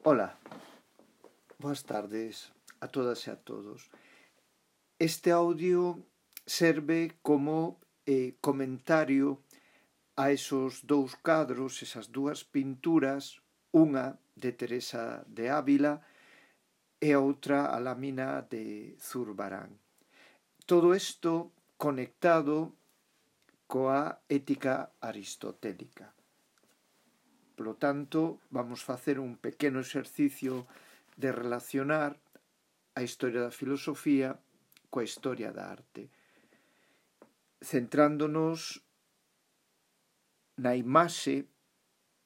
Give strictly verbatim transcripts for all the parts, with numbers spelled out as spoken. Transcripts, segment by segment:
Ola, boas tardes a todas e a todos. Este audio serve como eh, comentario a esos dous cadros, esas dúas pinturas, unha de Teresa de Ávila e outra a lámina de Zurbarán. Todo isto conectado coa ética aristotélica. Por lo tanto, vamos facer un pequeno exercicio de relacionar a historia da filosofía coa historia da arte, centrándonos na imaxe,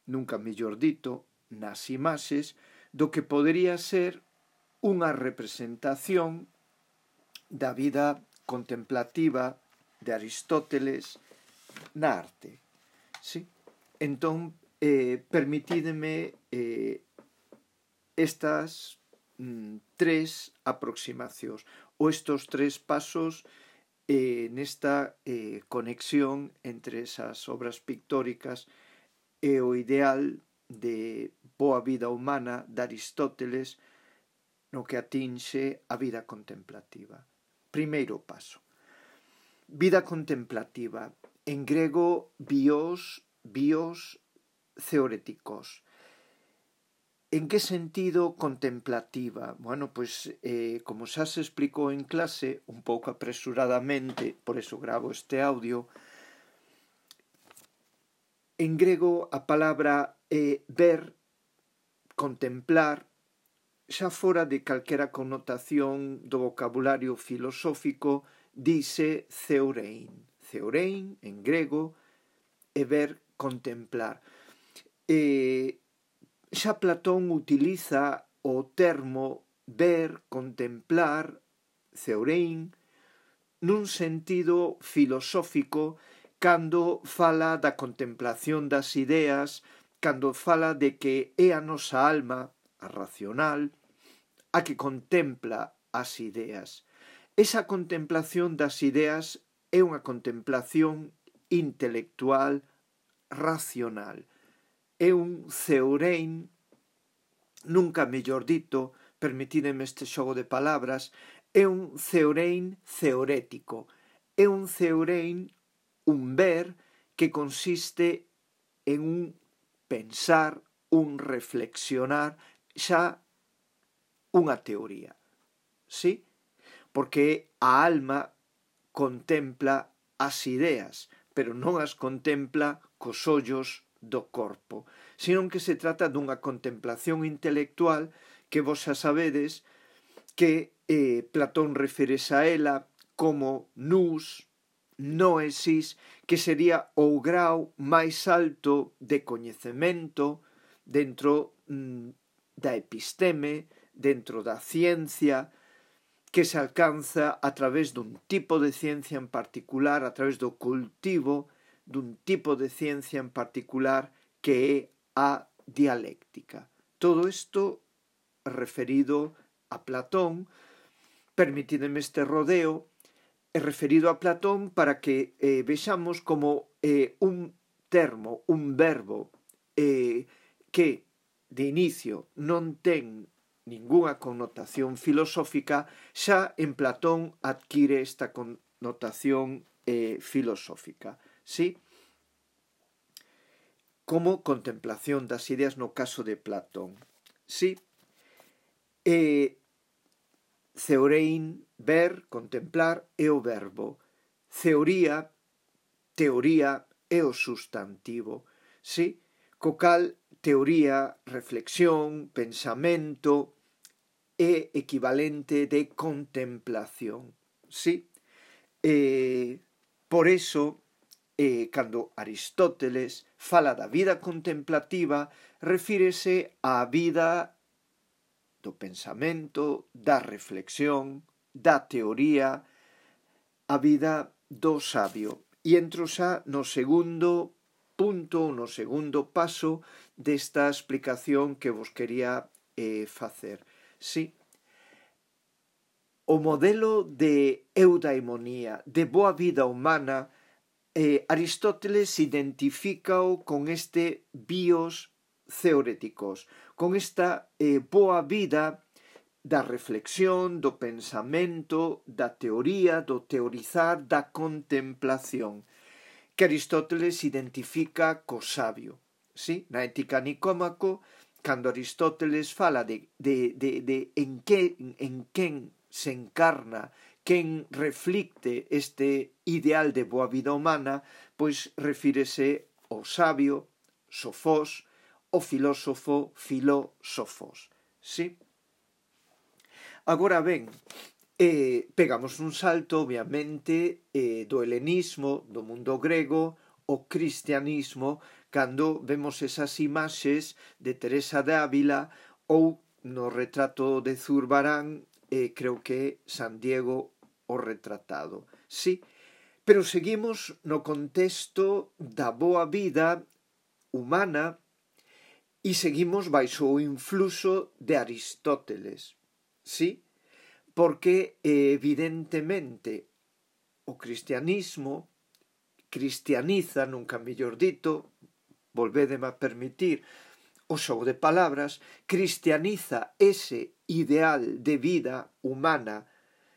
nunca mellor dito, nas imaxes do que podería ser unha representación da vida contemplativa de Aristóteles na arte. Sí? Entón, eh, permitídeme eh, estas mm, tres aproximacións ou estes tres pasos eh, nesta eh, conexión entre esas obras pictóricas e o ideal de boa vida humana de Aristóteles no que atinxe a vida contemplativa. Primeiro paso. Vida contemplativa. En grego, bios, bios theoretikos. En que sentido contemplativa? Bueno, pois, eh, como xa se explicou en clase, un pouco apresuradamente, por eso gravo este audio, en grego a palabra é ver, contemplar, xa fora de calquera connotación do vocabulario filosófico, dice theorein. Theorein, en grego, é ver, contemplar. E xa Platón utiliza o termo ver, contemplar, theorein, nun sentido filosófico cando fala da contemplación das ideas, cando fala de que é a nosa alma, a racional, a que contempla as ideas. Esa contemplación das ideas é unha contemplación intelectual, racional. É un theorein, nunca mellor dito, permitideme este xogo de palabras, é un theorein theorético. É un theorein, un ver, que consiste en un pensar, un reflexionar, xa unha teoría. Sí? Porque a alma contempla as ideas, pero non as contempla cos ollos do corpo, senón que se trata dunha contemplación intelectual que vos xa sabedes que eh, Platón refires a ela como nous, noesis, que sería o grau máis alto de coñecemento dentro mm, da episteme, dentro da ciencia, que se alcanza a través dun tipo de ciencia en particular, a través do cultivo dun tipo de ciencia en particular que é a dialéctica. Todo isto referido a Platón, permitideme este rodeo, é referido a Platón para que eh, vexamos como eh, un termo, un verbo eh, que de inicio non ten ningunha connotación filosófica, xa en Platón adquire esta connotación eh, filosófica. Sí? Como contemplación das ideas no caso de Platón. Sí? Eh, theorein, ver, contemplar, é o verbo. Teoría, teoría, é o sustantivo. Sí? Co cal, teoría, reflexión, pensamento, é equivalente de contemplación. Sí? Eh, por eso, eh, cando Aristóteles fala da vida contemplativa, refírese á vida do pensamento, da reflexión, da teoría, a vida do sabio. E entro xa no segundo punto, no segundo paso desta explicación que vos quería eh, facer. Sí. O modelo de eudaimonía, de boa vida humana, eh, Aristóteles identifícao con este bios teoréticos, con esta eh, boa vida da reflexión, do pensamento, da teoría, do teorizar, da contemplación, que Aristóteles identifica co sabio. Sí? Na Ética Nicómaco, cando Aristóteles fala de, de, de, de en, que, en quen se encarna, quen reflicte este ideal de boa vida humana, pois refírese ao sabio, sofós, o filósofo, filósofos. Sí? Agora ben, eh, pegamos un salto, obviamente, eh, do helenismo, do mundo grego, ao cristianismo, cando vemos esas imaxes de Teresa de Ávila ou no retrato de Zurbarán, eh, creo que San Diego o retratado. Sí, pero seguimos no contexto da boa vida humana e seguimos baixo o influxo de Aristóteles. Sí, porque evidentemente o cristianismo cristianiza, nunca mellor dito, volvédeme a permitir o xogo de palabras, cristianiza ese ideal de vida humana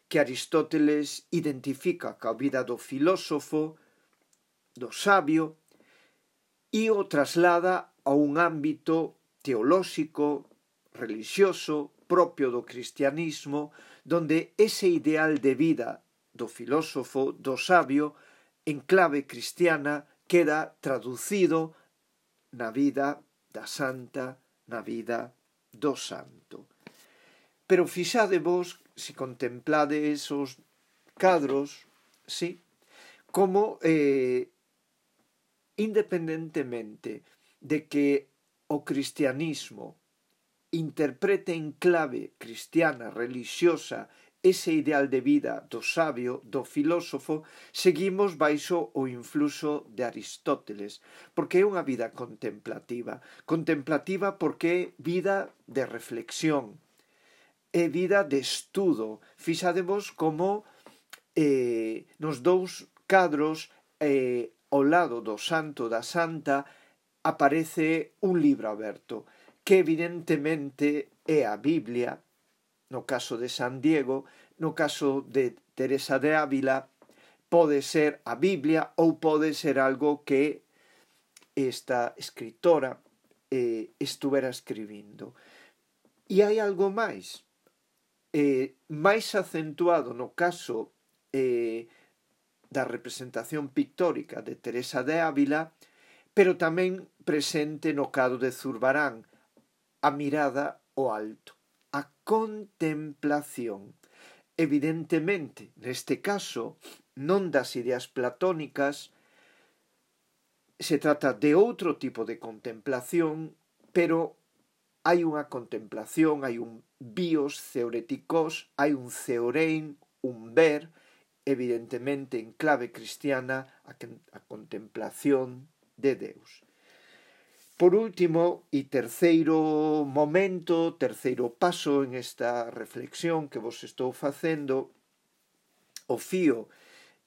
que Aristóteles identifica ca vida do filósofo, do sabio, e o traslada a un ámbito teolóxico, religioso, propio do cristianismo, donde ese ideal de vida do filósofo, do sabio, en clave cristiana, queda traducido na vida da santa, na vida do santo. Pero fixadevos, se contemplades os cadros, sí, como eh, independentemente de que o cristianismo interprete en clave cristiana, religiosa, ese ideal de vida do sabio, do filósofo, seguimos baixo o influxo de Aristóteles, porque é unha vida contemplativa. Contemplativa porque é vida de reflexión, é vida de estudo. Fixadevos como eh, nos dous cadros eh, ao lado do santo da santa aparece un libro aberto, que evidentemente é a Biblia, no caso de San Diego, no caso de Teresa de Ávila, pode ser a Biblia ou pode ser algo que esta escritora eh, estuvera escribindo. E hai algo máis, eh, máis acentuado no caso eh, da representación pictórica de Teresa de Ávila, pero tamén presente no cadro de Zurbarán, a mirada ao alto, a contemplación. Evidentemente, neste caso, non das ideas platónicas, se trata de outro tipo de contemplación, pero hai unha contemplación, hai un bios theoretikos, hai un theorein, un ver, evidentemente en clave cristiana, a, a contemplación de Deus. Por último, e terceiro momento, terceiro paso en esta reflexión que vos estou facendo, o fío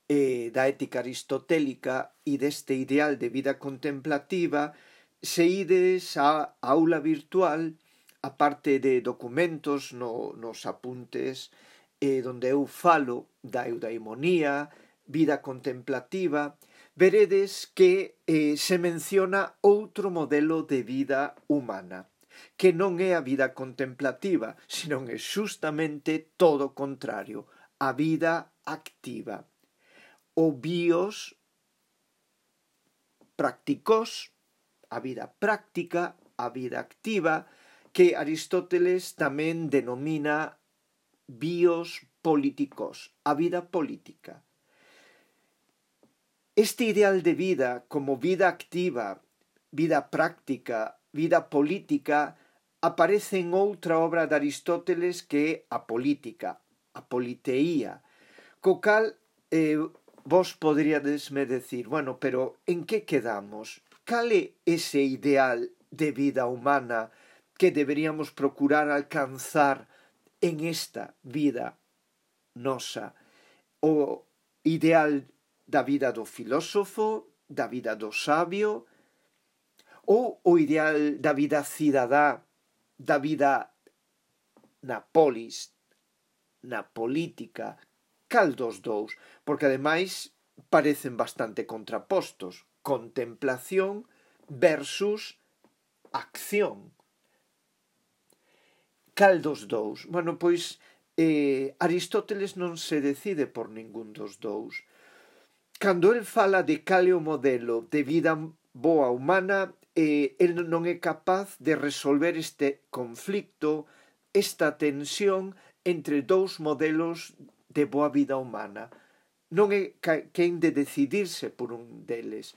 eh, da ética aristotélica e deste ideal de vida contemplativa, se ides á aula virtual, a parte de documentos no, nos apuntes, eh, donde eu falo da eudaimonía, vida contemplativa, veredes que eh, se menciona outro modelo de vida humana, que non é a vida contemplativa, senón é justamente todo o contrario, a vida activa. O bios practicos, a vida práctica, a vida activa, que Aristóteles tamén denomina bios políticos, a vida política. Este ideal de vida como vida activa, vida práctica, vida política, aparece en outra obra de Aristóteles que é a política, a politeía, co cal eh, vos poderíadesme decir, bueno, pero en que quedamos? Cal é ese ideal de vida humana que deberíamos procurar alcanzar en esta vida nosa? O ideal da vida do filósofo, da vida do sabio, ou o ideal da vida cidadá, da vida na polis, na política, cal dos dous? Porque ademais parecen bastante contrapostos. Contemplación versus acción. Cal dos dous? Bueno, pois eh, Aristóteles non se decide por ningún dos dous. Cando el fala de cal é o modelo de vida boa humana, eh, el non é capaz de resolver este conflicto, esta tensión entre dous modelos de boa vida humana. Non é quen de decidirse por un deles.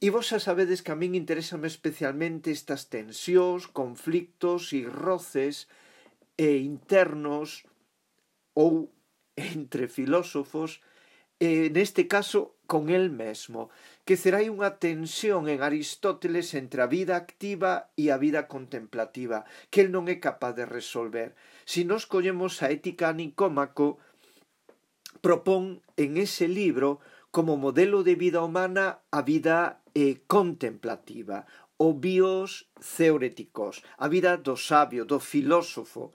E vos xa sabedes que a min interesame especialmente estas tensións, conflictos e roces e internos ou entre filósofos, eh, neste caso con el mesmo, que será unha tensión en Aristóteles entre a vida activa e a vida contemplativa, que el non é capaz de resolver. Si nos collemos a Ética a Nicómaco, propón en ese libro como modelo de vida humana a vida eh, contemplativa, o bios theoretikos, a vida do sabio, do filósofo.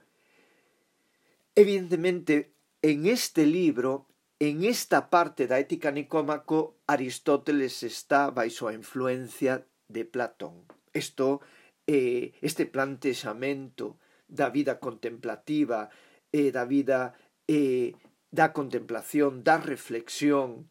Evidentemente, en este libro, en esta parte da Ética a Nicómaco, Aristóteles está baixo a influencia de Platón. Isto, eh, este plantexamento da vida contemplativa, eh, da vida eh, da contemplación, da reflexión,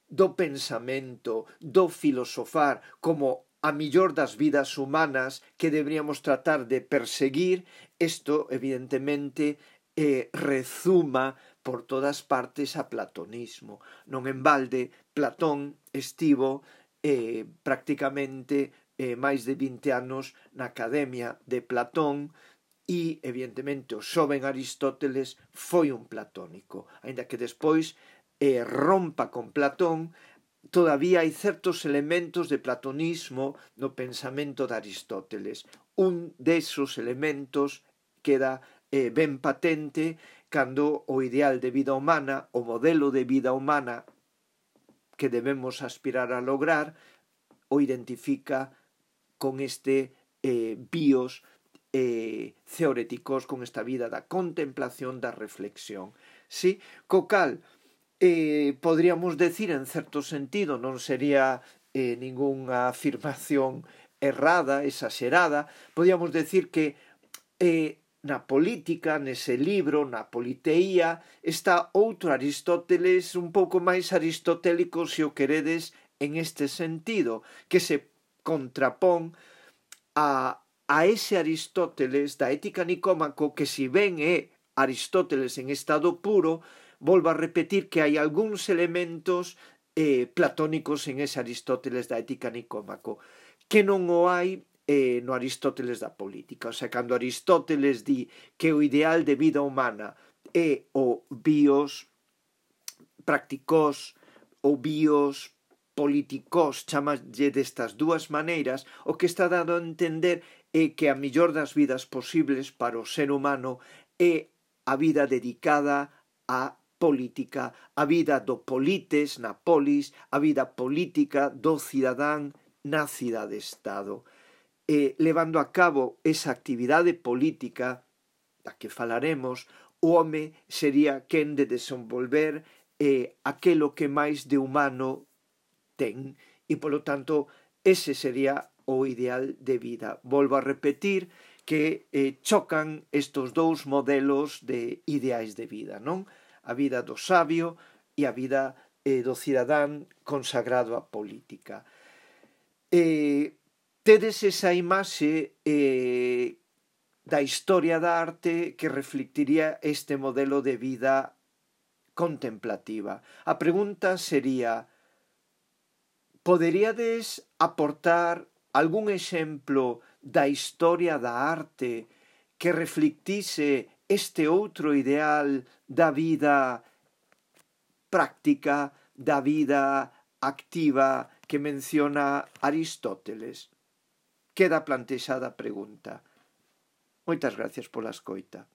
do pensamento, do filosofar como a millor das vidas humanas que deberíamos tratar de perseguir, isto evidentemente eh, rezuma por todas partes a platonismo. Non en balde, Platón estivo eh, prácticamente eh, máis de vinte anos na Academia de Platón e, evidentemente, o xoven Aristóteles foi un platónico. Aínda que despois eh, rompa con Platón, todavía hai certos elementos de platonismo no pensamento de Aristóteles. Un desos elementos queda eh, ben patente cando o ideal de vida humana, o modelo de vida humana que debemos aspirar a lograr, o identifica con este eh, bios eh, theoretikos, con esta vida da contemplación, da reflexión. Sí? Co cal, eh, podríamos decir, en certo sentido, non sería eh, ningunha afirmación errada, exagerada, podríamos decir que eh, na política, nese libro, na politeía, está outro Aristóteles un pouco máis aristotélico, se o queredes, en este sentido, que se contrapón a, a ese Aristóteles da Ética a Nicómaco, que si ben é Aristóteles en estado puro, volvo a repetir que hai algúns elementos eh, platónicos en ese Aristóteles da Ética a Nicómaco, que non o hai Eh, no Aristóteles da política. O sea, cando Aristóteles di que o ideal de vida humana é o bios practicós ou bios políticos, chamalle destas dúas maneiras, o que está dado a entender é que a millor das vidas posibles para o ser humano é a vida dedicada á política, a vida do polites na polis, a vida política do cidadán na cidade-estado. Eh, levando a cabo esa actividade política da que falaremos, o home sería quen de desenvolver eh, aquelo que máis de humano ten e, polo tanto, ese sería o ideal de vida. Volvo a repetir que eh, chocan estos dous modelos de ideais de vida, non? A vida do sabio e a vida eh, do cidadán consagrado á política. Eh, Tedes esa imaxe eh, da historia da arte que reflectiría este modelo de vida contemplativa. A pregunta sería: poderíades aportar algún exemplo da historia da arte que reflectise este outro ideal da vida práctica, da vida activa que menciona Aristóteles? Queda plantexada a pregunta. Moitas gracias pola escoita.